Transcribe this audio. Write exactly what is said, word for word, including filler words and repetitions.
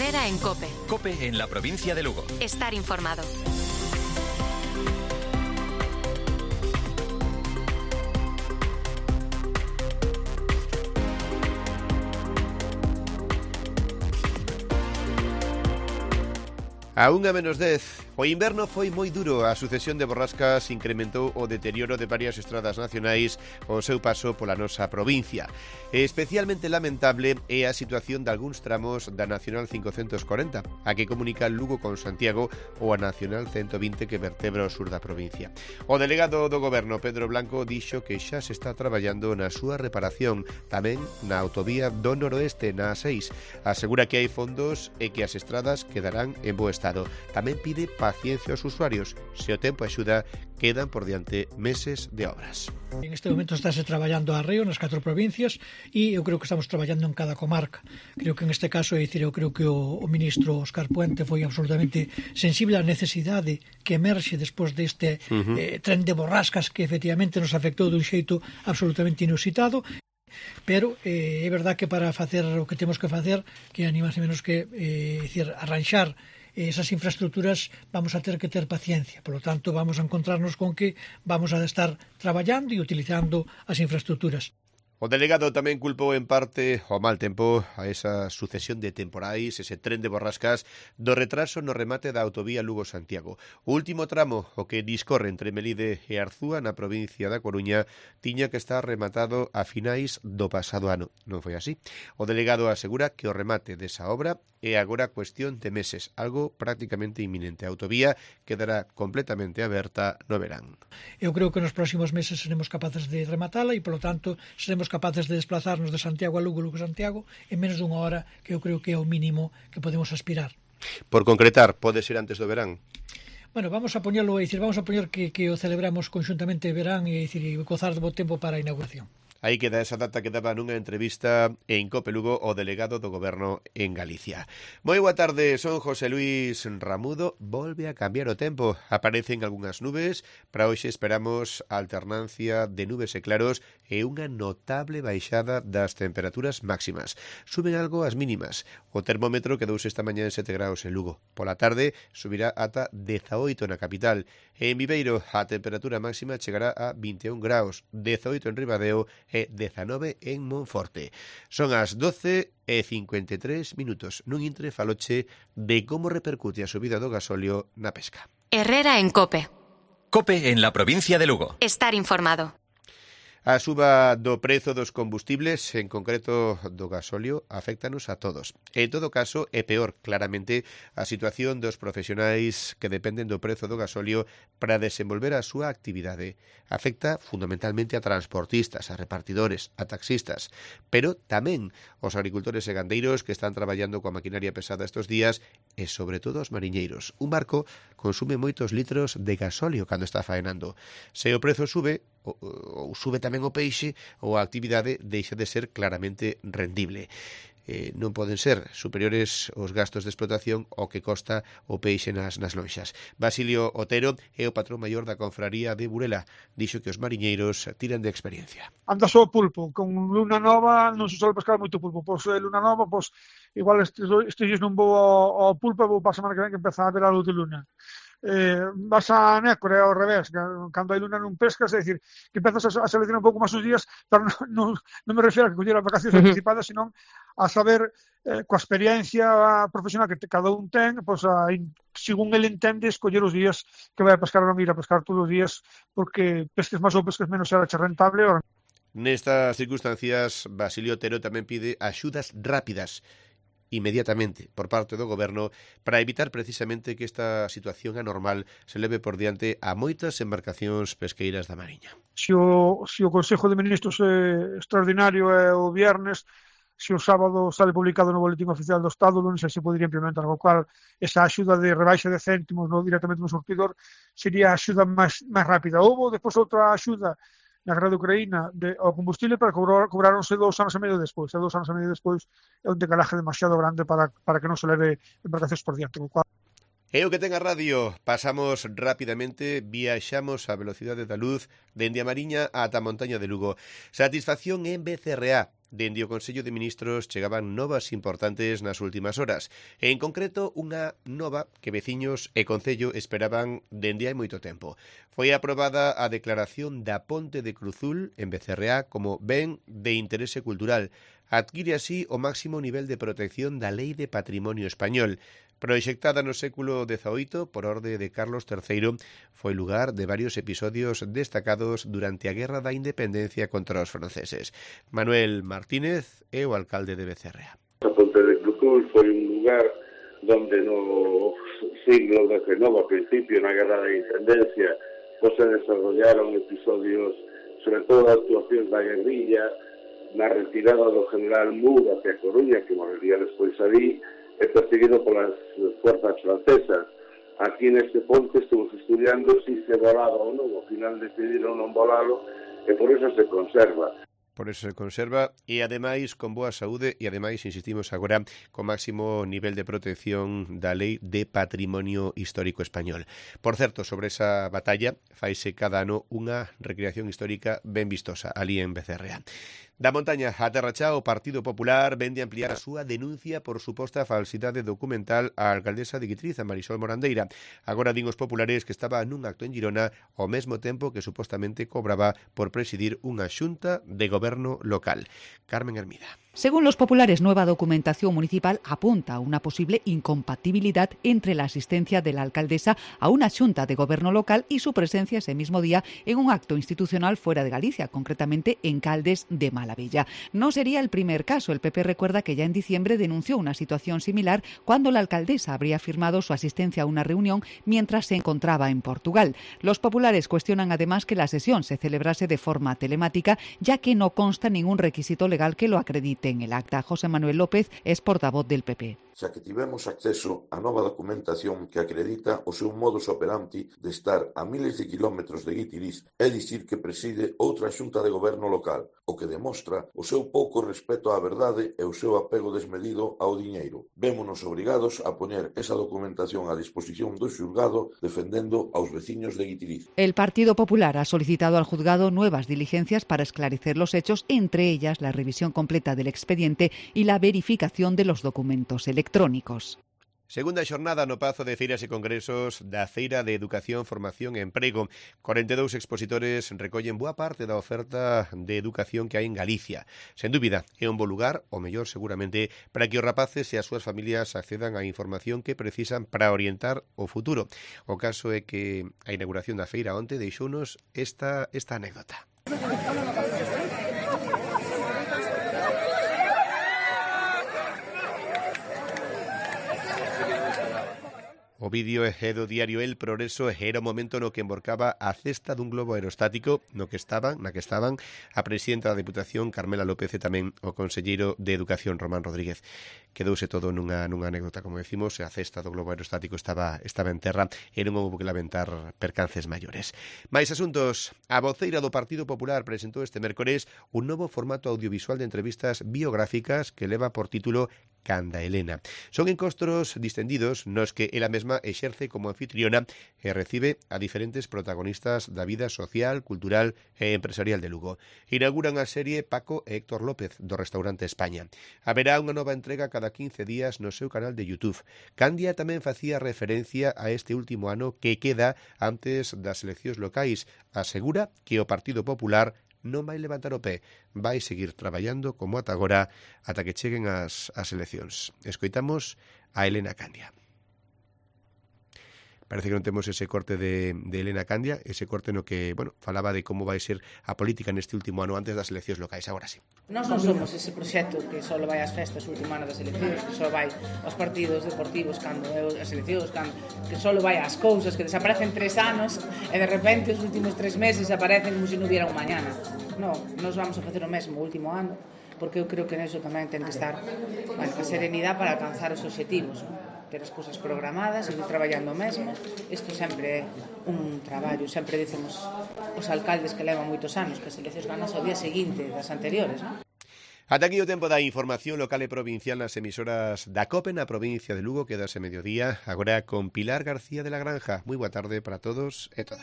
Herrera en COPE. COPE en la provincia de Lugo. Estar informado. A unha menos dez, o inverno foi moi duro. A sucesión de borrascas incrementou o deterioro de varias estradas nacionais ao seu paso pola nosa provincia. Especialmente lamentable é a situación de algúns tramos da Nacional cincocentos corenta, a que comunica Lugo con Santiago, ou a Nacional ciento vinte que vertebra o sur da provincia. O delegado do Goberno, Pedro Blanco, dixo que xa se está traballando na súa reparación, tamén na autovía do noroeste, na A seis. Asegura que hai fondos e que as estradas quedarán en bo estado. Tamén pide paciencia aos usuarios. Se o tempo axuda, quedan por diante meses de obras. En este momento estáse traballando a arreo nas catro provincias e eu creo que estamos traballando en cada comarca. Creo que en este caso, é dicir, eu creo que o, o ministro Óscar Puente foi absolutamente sensible á necesidade que emerxe despois deste uh-huh. eh, tren de borrascas que efectivamente nos afectou dun xeito absolutamente inusitado. Pero eh, é verdad que para facer o que temos que facer, que é ni máis ni menos que eh, decir, arranxar esas infraestructuras, vamos a ter que ter paciencia. Por lo tanto, vamos a encontrarnos con que vamos a estar traballando e utilizando as infraestructuras. O delegado tamén culpou en parte o mal tempo, a esa sucesión de temporais, ese tren de borrascas, do retraso no remate da autovía Lugo-Santiago. O último tramo, o que discorre entre Melide e Arzúa, na provincia da Coruña, tiña que estar rematado a finais do pasado ano. Non foi así. O delegado asegura que o remate desa obra é agora cuestión de meses, algo prácticamente inminente. A autovía quedará completamente aberta no verán. Eu creo que nos próximos meses seremos capaces de rematala e, polo tanto, seremos capaces de desplazarnos de Santiago a Lugo, Lugo a Santiago, en menos dunha hora, que eu creo que é o mínimo que podemos aspirar. Por concretar, pode ser antes do verán? Bueno, vamos a poñerlo, é dicir, vamos a poñer que, que o celebramos conxuntamente verán e, dicir, e gozar do bo tempo para a inauguración. Aí queda esa data que daba nunha entrevista en COPE Lugo o delegado do Goberno en Galicia. Moi boa tarde, son José Luis Ramudo. Volve a cambiar o tempo. Aparecen algunhas nubes. Para hoxe esperamos a alternancia de nubes e claros e unha notable baixada das temperaturas máximas. Suben algo as mínimas. O termómetro quedouse esta mañá en sete graus en Lugo. Pola tarde subirá ata dezaoito na capital. En Viveiro a temperatura máxima chegará a vinte e un graus, dezaoito en Ribadeo e dezanove en Monforte. Son as doce e cincuenta e tres minutos. Nun intre faloche de como repercute a subida do gasóleo na pesca. Herrera en COPE. COPE en la provincia de Lugo. Estar informado. A suba do prezo dos combustibles, en concreto do gasóleo, afectanos a todos. En todo caso, é peor, claramente, a situación dos profesionais que dependen do prezo do gasóleo para desenvolver a súa actividade. Afecta fundamentalmente a transportistas, a repartidores, a taxistas, pero tamén os agricultores e gandeiros que están traballando coa maquinaria pesada estes días e, sobre todo, os mariñeiros. Un barco consume moitos litros de gasóleo cando está faenando. Se o prezo sube, ou sube tamén o peixe, ou a actividade deixa de ser claramente rendible. Eh, non poden ser superiores os gastos de explotación ao que costa o peixe nas, nas lonxas. Basilio Otero é o patrón maior da confraría de Burela. Dixo que os mariñeiros tiran de experiencia. Anda só o pulpo, con luna nova non se sobe pescar moito pulpo. Pois luna nova, pois igual estes, estes dias non vou ao, ao pulpo, vou para a semana que ven que empeza a ver a luz de luna. Eh, vas a Nécora ao revés, cando hai luna non pescas, é dicir, que empezas a seleccionar un pouco máis os días, pero non, non, non me refiero a que coller as vacacións anticipadas, sino a saber, eh, coa experiencia profesional que te, cada un ten, pois a, según ele entende, escoller os días que vai a pescar ou non ir a pescar todos os días, porque pesques máis ou pesques menos será che rentable. Ou... Nestas circunstancias, Basilio Otero tamén pide axudas rápidas inmediatamente por parte do Goberno para evitar precisamente que esta situación anormal se leve por diante a moitas embarcacións pesqueiras da Mariña. Se o, se o Consejo de Ministros é extraordinario é o viernes, se o sábado sale publicado no Boletín Oficial do Estado, non sei se podría implementar, co cual esa axuda de rebaixa de céntimos no, directamente no surtidor sería a axuda máis, máis rápida. Houve depois outra axuda na guerra de Ucraína de, ao combustible para cobrar, cobraronse dous anos e medio despois. E dous anos e medio despois é un decalaje demasiado grande para, para que non se leve embarcacións por diante. E o que ten a radio, pasamos rapidamente, viaxamos a velocidade da luz dende a Mariña ata a montaña de Lugo. Satisfacción en B C R A. Dende o Consello de Ministros chegaban novas importantes nas últimas horas. E en concreto, unha nova que veciños e Concello esperaban dende hai moito tempo. Foi aprobada a declaración da Ponte de Cruzul en B C R A como ben de interese cultural. Adquire así o máximo nivel de protección da Lei de Patrimonio Español. Proxectada no século dezaoito por orde de Carlos terceiro, foi lugar de varios episodios destacados durante a Guerra da Independencia contra os franceses. Manuel Martínez é o alcalde de B C R A. A Ponte de Cruzul foi un lugar donde no siglo dezenove, a principio, na Guerra da Independencia, pues se desarrollaron episodios, sobre todo actuacións da guerrilla, na retirada do general Moore hacia Coruña, que moriría despois ali, é perseguido polas fuerzas francesas. Aquí neste ponte estamos estudiando se se volaba ou non, ao final decidiron non volalo e por eso se conserva. Por eso se conserva e ademais con boa saúde e ademais, insistimos agora, con máximo nivel de protección da Lei de Patrimonio Histórico Español. Por certo, sobre esa batalla faise cada ano unha recreación histórica ben vistosa ali en B C R A. Da montaña a Terra Chá, o Partido Popular vende ampliar a súa denuncia por suposta falsidade documental á alcaldesa de Guitriz, a Marisol Morandeira. Agora din os populares que estaba nun acto en Girona ao mesmo tempo que supostamente cobraba por presidir unha xunta de goberno local. Carmen Hermida. Según los populares, nueva documentación municipal apunta a una posible incompatibilidad entre la asistencia de la alcaldesa a una xunta de gobierno local y su presencia ese mismo día en un acto institucional fuera de Galicia, concretamente en Caldes de Malavella. No sería el primer caso. El P P recuerda que ya en diciembre denunció una situación similar cuando la alcaldesa habría firmado su asistencia a una reunión mientras se encontraba en Portugal. Los populares cuestionan además que la sesión se celebrase de forma telemática, ya que no consta ningún requisito legal que lo acredite en el acta. José Manuel López es portavoz del P P. Xa que tivemos acceso a nova documentación que acredita o seu modus operandi de estar a miles de kilómetros de Guitiriz e dicir que preside outra xunta de goberno local, o que demostra o seu pouco respeto á verdade e o seu apego desmedido ao diñeiro. Vémonos obrigados a poñer esa documentación a disposición do xulgado defendendo aos veciños de Guitiriz. El Partido Popular ha solicitado al juzgado nuevas diligencias para esclarecer los hechos, entre ellas la revisión completa del expediente y la verificación de los documentos electrónicos. electrónicos. Segunda xornada no Pazo de Feiras e Congresos da Feira de Educación, Formación e Emprego. cuarenta e dous expositores recollen boa parte da oferta de educación que hai en Galicia. Sen dúbida, é un bo lugar, o mellor seguramente, para que os rapaces e as súas familias accedan á información que precisan para orientar o futuro. O caso é que a inauguración da feira onte deixounos esta, esta anécdota. O vídeo é do diario El Progreso e era o momento no que emborcaba a cesta dun globo aerostático no que estaban, na que estaban a presidenta da Deputación Carmela López e tamén o conselleiro de Educación Román Rodríguez. Quedouse todo nunha, nunha anécdota, como decimos, e a cesta do globo aerostático estaba, estaba en terra e non houve que lamentar percances maiores. Mais asuntos, a voceira do Partido Popular presentou este mércores un novo formato audiovisual de entrevistas biográficas que leva por título Canda Elena. Son encostros distendidos nos que ela mesma exerce como anfitriona e recibe a diferentes protagonistas da vida social, cultural e empresarial de Lugo. Inauguran a serie Paco e Héctor López do restaurante España. Haberá unha nova entrega cada quince días no seu canal de YouTube. Candia tamén facía referencia a este último ano que queda antes das eleccións locais. Asegura que o Partido Popular non vai levantar o pé, vai seguir traballando como ata agora ata que cheguen as, as eleccións. Escoitamos a Elena Candia. Parece que non temos ese corte de, de Elena Candia, ese corte no que, bueno, falaba de como vai ser a política neste último ano antes das eleccións locais. Agora sí. Nós non somos ese proxecto que só vai ás festas o último ano das eleccións, que só vai aos partidos deportivos cando é as eleccións, cando, que só vai ás cousas, que desaparecen tres anos e de repente os últimos tres meses aparecen como se non hubiera un mañana. Non, nós vamos a facer o mesmo o último ano, porque eu creo que neso tamén ten que estar, bueno, a serenidade para alcanzar os obxectivos, non? Ter as cousas programadas, seguir traballando mesmo. Isto sempre é un traballo, sempre dicemos os alcaldes que levan moitos anos que as eleccións ganas ao día seguinte das anteriores, non? Ata aquí o tempo da información local e provincial nas emisoras da COPE na provincia de Lugo. Quedase mediodía agora con Pilar García de la Granja. Moi boa tarde para todos e todas.